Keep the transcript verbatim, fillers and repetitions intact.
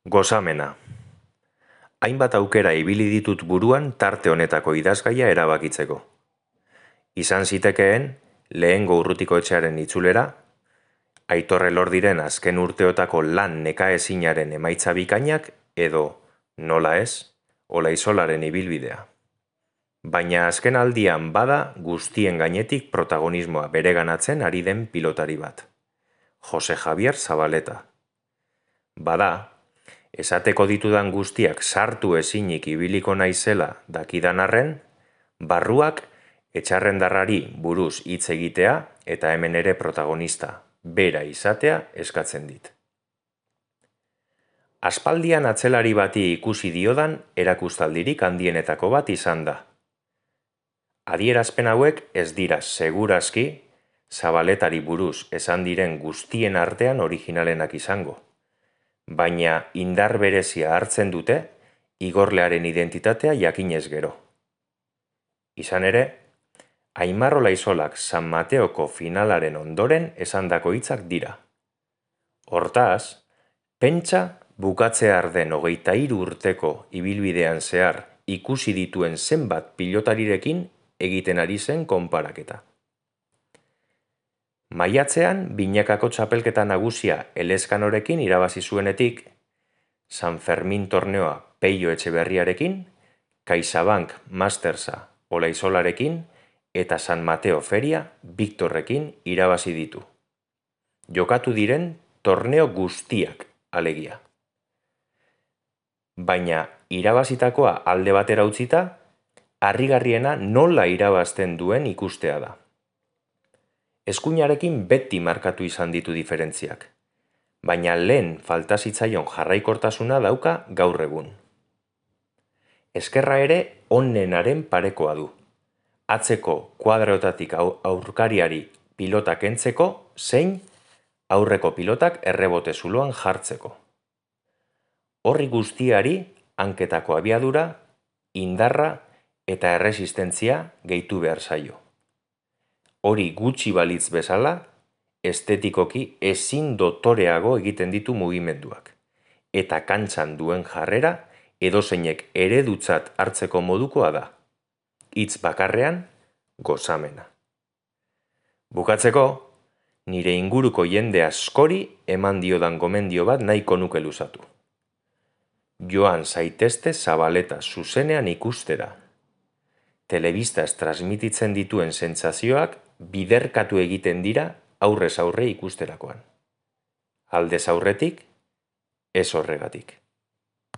Gozamena. Hainbat aukera ibili ditut buruan tarte honetako idazgaia erabakitzeko. Izan zitekeen, lehengo urrutiko etxearen itzulera, Aitor Elordiren azken urteotako lan nekaezinaren emaitza bikainak edo, nola ez, Olaizolaren ibilbidea. Baina azken aldian bada guztien gainetik protagonismoa bereganatzen ari den pilotari bat. Jose Javier Zabaleta. Bada, esateko ditudan guztiak sartu ezinik ibiliko naizela dakidan arren, barruak etxarrendarrari buruz hitz egitea eta hemen ere protagonista, bera izatea eskatzen dit. Aspaldian atzelari bati ikusi diodan erakustaldirik handienetako bat izan da. Adierazpen hauek ez dira segurazki Zabaletari buruz esan diren guztien artean originalenak izango. Baina indar berezia hartzen dute igorlearen identitatea jakinez gero. Izan ere, Aimar Olaizolak San Mateoko finalaren ondoren esandako hitzak dira. Hortaz, pentsa bukatzear den hogeita hiru urteko ibilbidean zehar ikusi dituen zenbat pilotarirekin egiten ari zen konparaketa. Maiatzean binakako txapelketa nagusia Elezkanorekin irabazi zuenetik, San Fermin torneoa Peio Etxeberriarekin, CaixaBank Mastersa Olaizolarekin eta San Mateo Feria Victorrekin irabazi ditu. Jokatu diren torneo guztiak alegia. Baina irabazitakoa alde batera utzita, harrigarriena nola irabazten duen ikustea da. Eskuinarekin beti markatu izan ditu diferentziak, baina lehen falta zitzaion jarraikortasuna dauka gaur egun. Eskerra ere onenaren parekoa du, atzeko kuadrotatik aurkariari pilotak kentzeko zein aurreko pilotak errebote zuloan jartzeko. Horri guztiari hanketako abiadura, indarra eta erresistentzia gehitu behar zaio. Hori gutxi balitz bezala, estetikoki ezin dotoreago egiten ditu mugimenduak, eta kantxan duen jarrera edozeinek eredutzat hartzeko modukoa da. Hitz bakarrean, gozamena. Bukatzeko, nire inguruko jende askori eman diodan gomendio bat nahiko nuke luzatu. Joan zaitezte Zabaleta zuzenean ikustera. Telebistaz transmititzen dituen sentsazioak biderkatu egiten dira aurrez aurre ikusterakoan. Aldez aurretik, ez horregatik.